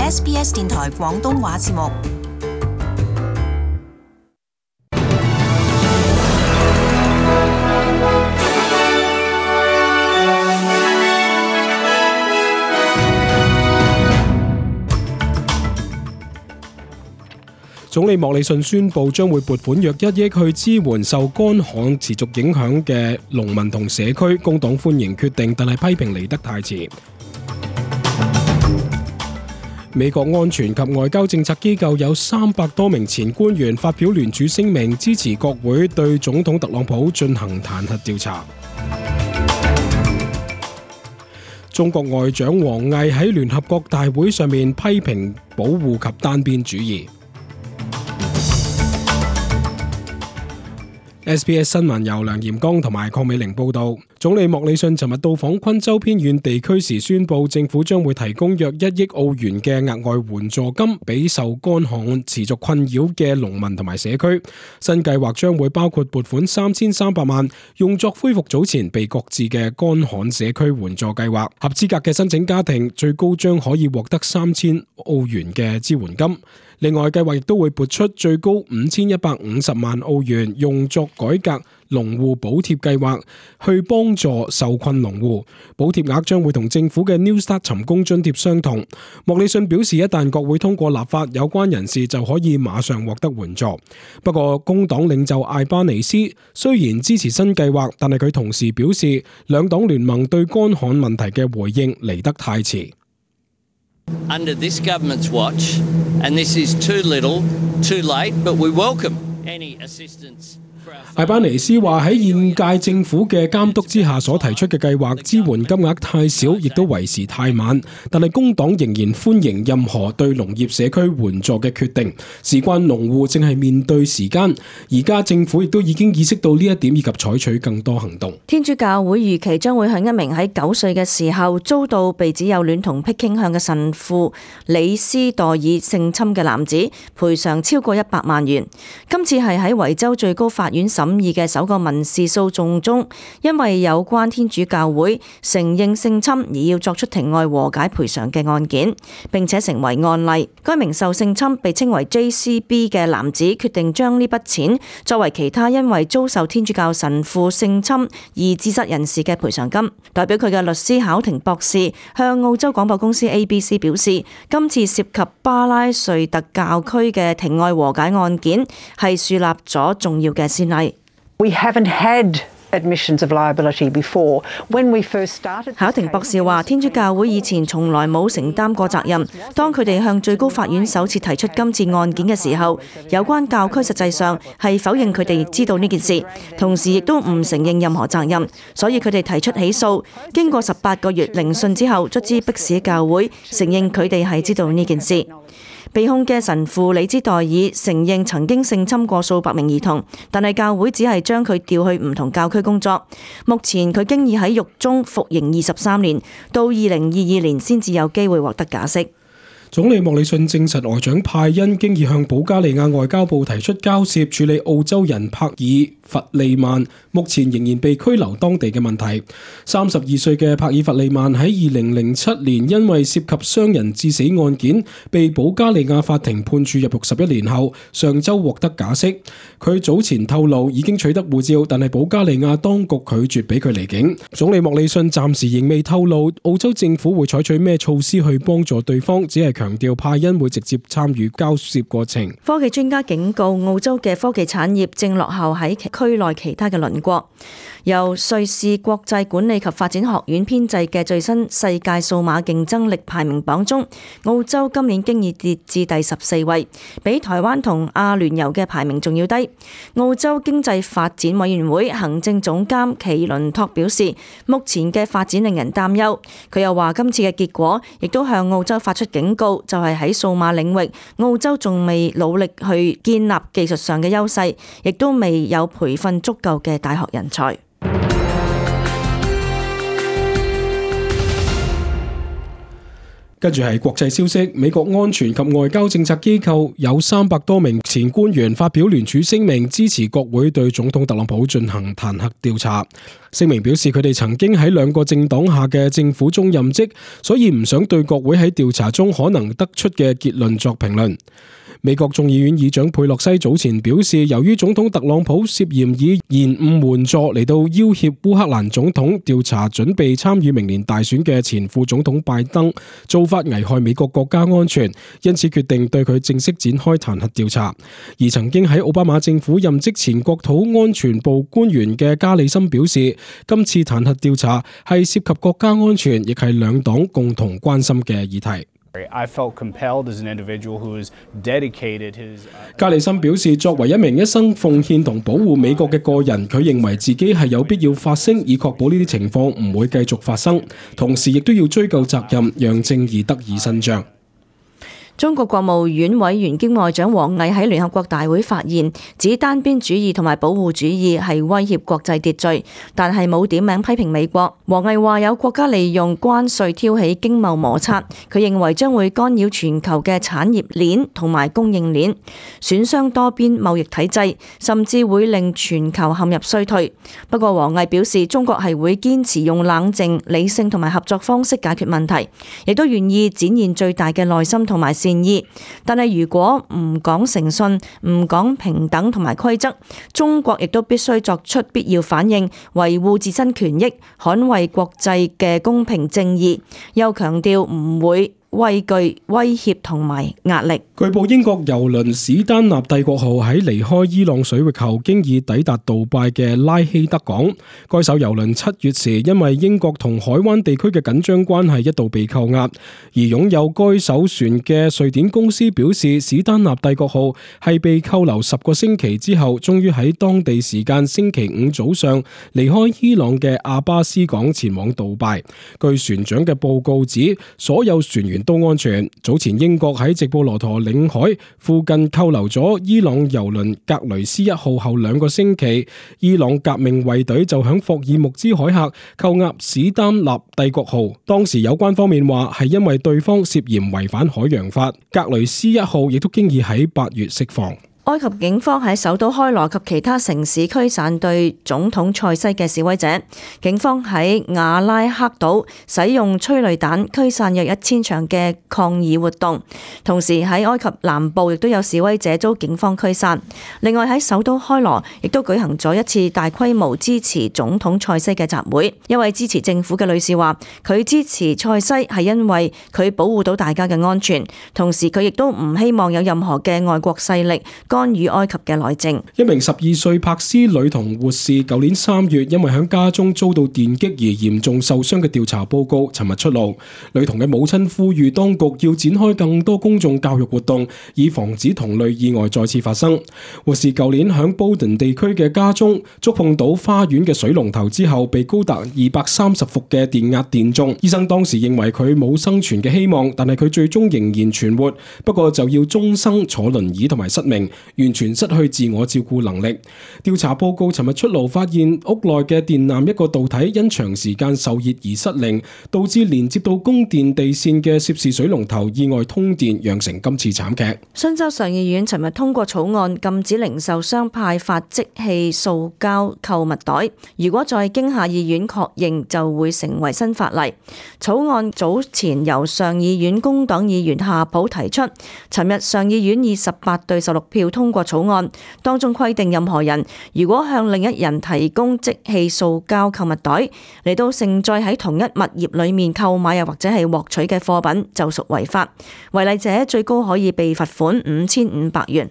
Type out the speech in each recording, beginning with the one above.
SBS 電台廣東話節目。總理莫里遜宣布將會撥款約1億去支援受乾旱持續影響嘅農民同社區。工黨歡迎決定，但係批評嚟得太遲。美國安全及外交政策機構有300多名前官員發表聯署聲明，支持國會對總統特朗普進行彈劾調查。中國外長王毅喺聯合國大會上面批評保護及單邊主義。SBS 新聞由梁炎剛同埋鄺美玲報道。總理莫里遜尋日到訪昆州偏遠地區時宣布，政府將會提供約1億澳元嘅額外援助金俾受乾旱持續困擾嘅農民同埋社區。新計劃將會包括撥款3300萬，用作恢復早前被擱置嘅乾旱社區援助計劃。合資格嘅申請家庭最高將可以獲得3000澳元嘅支援金。另外，計劃亦都會撥出最高5150萬澳元，用作改革農戶補貼計劃，去幫助受困農戶。補貼額將會同政府嘅 New Start 尋工津貼相同。莫里遜表示，一旦國會通過立法，有關人士就可以馬上獲得援助。不過，工黨領袖艾巴尼斯雖然支持新計劃，但係佢同時表示，兩黨聯盟對乾旱問題嘅回應嚟得太遲。Under this government's watch, and this is too little, too late, but we welcome any assistance. 艾巴尼斯話喺現屆政府嘅監督之下所提出嘅計劃支援金額太少，亦都為時太晚。但係工黨仍然歡迎任何對農業社區援助嘅決定。事關農戶正係面對時間，而家政府亦都已經意識到呢一點，以及採取更多行動。天主教會預期將會向一名喺9歲嘅時候遭到被指有戀童癖傾向嘅神父李斯代爾性侵嘅男子賠償超過100萬元。今次係喺維州最高法院審議嘅首個民事訴訟中，因為有關天主教會承認性侵而要作出庭外和解賠償嘅案件，並且成為案例。該名受性侵被稱為 JCB 嘅男子決定將呢筆錢作為其他因為遭受天主教神父性侵而自殺人士嘅賠償金。代表佢嘅律師考廷博士向澳洲廣播公司 ABC 表示，今次涉及巴拉瑞特教區嘅庭外和解案件係樹立咗重要嘅先例。We haven't had admissions of liability before. When we first started, 考廷博士話，天主教會以前從來冇承擔過責任。當佢哋向最高法院首次提出今次案件嘅時候，有關教區實際上係否認佢哋知道呢件事，同時亦都唔承認任何責任，所以佢哋提出起訴。經過18個月聆訊之後，卒之迫使教會承認佢哋係知道呢件事。被控嘅神父李茲代爾承認曾經性侵過數百名兒童，但係教會只係將佢調去唔同教區工作。目前佢經已喺獄中服刑23年，到2022年先至有機會獲得假釋。總理莫里遜證實，外長派恩經已向保加利亞外交部提出交涉，處理澳洲人帕爾弗利曼目前仍然被拘留當地嘅問題。32歲嘅帕爾弗利曼喺2007年因為涉及傷人致死案件，被保加利亞法庭判處入獄11年後，上週獲得假釋。佢早前透露已經取得護照，但係保加利亞當局拒絕俾佢離境。總理莫里遜暫時仍未透露澳洲政府會採取咩措施去幫助對方，只係強調派恩會直接參與交涉過程。科技專家警告，澳洲嘅科技產業正落後喺區內其他嘅鄰國。由瑞士國際管理及發展學院編製嘅最新世界數碼競爭力排名榜中，澳洲今年經已跌至第14位，比台灣同阿聯酋嘅排名仲要低。澳洲經濟發展委員會行政總監奇倫托表示，目前嘅發展令人擔憂。佢又話，今次嘅結果亦都向澳洲發出警告，就係喺數碼領域，澳洲仲未努力去建立技術上嘅優勢，亦都未有培訓足夠嘅大學人才。跟住係國際消息，美國安全及外交政策機構有300多名前官員發表聯署聲明，支持國會對總統特朗普進行彈劾調查。聲明表示佢哋曾經喺2個政黨下嘅政府中任職，所以唔想對國會喺調查中可能得出嘅結論作評論。美國眾議院議長佩洛西早前表示，由於總統特朗普涉嫌以延誤援助嚟到要挾烏克蘭總統調查準備參與明年大選嘅前副總統拜登，做法危害美國國家安全，因此決定對佢正式展開彈劾調查。而曾經喺奧巴馬政府任職前國土安全部官員嘅加里森表示，今次彈劾調查係涉及國家安全，亦係兩黨共同關心嘅議題。加里森表示，作為一名一生奉獻同保護美國嘅個人，佢認為自己係有必要發聲，以確保呢啲情況唔會繼續發生，同時亦都要追究責任，讓正義得以伸張。中國國務院委員兼外長王毅喺聯合國大會發言，指單邊主義同埋保護主義係威脅國際秩序，但係冇點名批評美國。王毅話有國家利用關稅挑起經貿摩擦，佢認為將會干擾全球嘅產業鏈同埋供應鏈，損傷多邊貿易體制，甚至會令全球陷入衰退。不過王毅表示，中國係會堅持用冷靜、理性同埋合作方式解決問題，亦都願意展現最大嘅耐心同埋善意，但係如果唔講誠信、唔講平等同埋規則，中國亦都必須作出必要反應，維護自身權益，捍衛國際嘅公平正義。又強調唔會畏懼威脅同埋壓力。據報英國郵輪史丹納帝國號喺離開伊朗水域後，經已抵達杜拜嘅拉希德港。該艘郵輪7月時因為英國同海灣地區嘅緊張關係一度被扣押，而擁有該艘船嘅瑞典公司表示，史丹納帝國號係被扣留10個星期之後，終於喺當地時間星期5早上離開伊朗嘅阿巴斯港前往杜拜。據船長嘅報告指，所有船員都安全。早前英國喺直布羅陀領海附近扣留咗伊朗郵輪格雷斯1號後2個星期，伊朗革命衛隊就響霍爾木茲海峽扣押史丹納帝國號。當時有關方面話係因為對方涉嫌違反海洋法。格雷斯1號亦都經已喺8月釋放。埃及警方喺首都開羅及其他城市驅散對總統塞西嘅示威者。警方喺瓦拉克島使用催淚彈驅散約1000場嘅抗議活動，同時喺埃及南部亦都有示威者遭警方驅散。另外喺首都開羅亦都舉行咗一次大規模支持總統塞西嘅集會。一位支持政府嘅女士話，佢支持塞西係因為佢保護到大家嘅安全，同時佢亦都唔希望有任何嘅外國勢力干預埃及嘅內政。一名12歲柏斯女童護士，舊年3月因為喺家中遭到電擊而嚴重受傷嘅調查報告，尋日出爐。女童嘅母親呼籲當局要展開更多公眾教育活動，以防止同類意外再次發生。護士舊年喺布頓地區嘅家中觸碰到花園嘅水龍頭之後，被高達230伏嘅電壓電中。醫生當時認為佢冇生存嘅希望，但係佢最終仍然存活，不過就要終生坐輪椅同埋失明，完全失去自我照顧能力。調查報告尋日出爐，發現屋內嘅電纜一個導體因長時間受熱而失靈，導致連接到供電地線嘅涉事水龍頭意外通電，釀成今次慘劇。新州上議院尋日通過草案，禁止零售商派發即棄塑膠購物袋，如果再經下議院確認，就會成為新法例。草案早前由上議院工黨議員夏普提出，尋日上議院以18對16票通過草案，當中規定任何人如果向另一人提供即棄塑膠購物袋嚟到盛載喺同一物業裏面購買又或者係獲取嘅貨品，就屬違法。違例者最高可以被罰款5500元。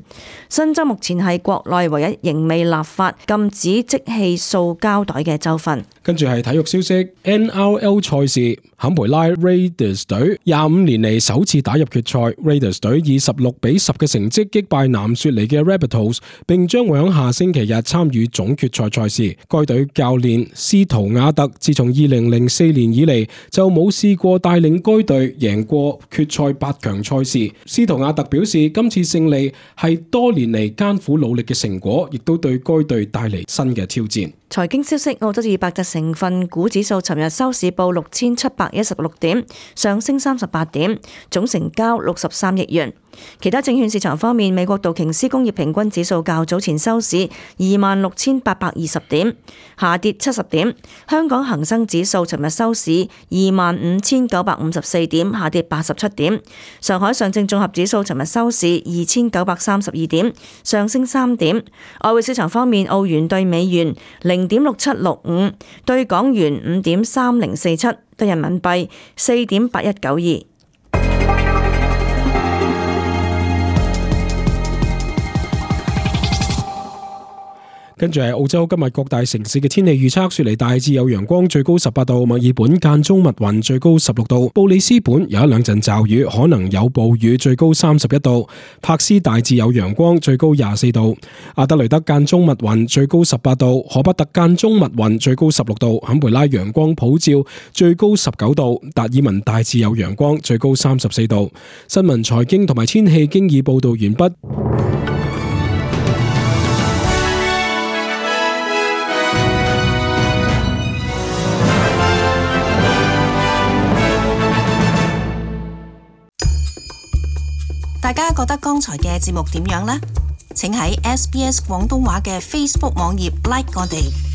新州目前係國內唯一仍未立法禁止即棄塑膠袋嘅州份。跟住係體育消息 ，NRL 賽事，坎培拉 Raiders 隊25年嚟首次打入決賽。Raiders 隊以16-10嘅成績擊敗南雪雪梨嘅 Rabbitohs， 並將會喺下星期日參與總決賽賽事。該隊教練斯圖亞特自從2004年以嚟就冇試過帶領該隊贏過決賽8強賽事。斯圖亞特表示，今次勝利係多年嚟艱苦努力嘅成果，亦都對該隊帶嚟新嘅挑戰。財經消息，澳洲200隻成分股指數尋日收市報6716點，上升38點，總成交63億元。其他證券市場方面，美國道瓊斯工業平均指數較早前收市26,820點，下跌70點。香港恒生指數尋日收市25,954點，下跌87點。上海上證綜合指數尋日收市2,932點，上升3點。外匯市場方面，澳元對美元0.6765，對港元5.3047，對人民幣4.8192。跟住係澳洲今日各大城市嘅天氣預測：雪梨大致有陽光，最高18度；墨爾本間中密雲，最高16度；布里斯本有一兩陣驟雨，可能有暴雨，最高31度；柏斯大致有陽光，最高24度；阿德雷德間中密雲，最高18度；荷伯特間中密雲，最高16度；坎培拉陽光普照，最高19度；達爾文大致有陽光，最高34度。新聞、財經同埋天氣經已報道完畢。大家覺得剛才嘅節目點樣呢？請喺SBS 廣東話嘅 Facebook 網頁 like 我哋。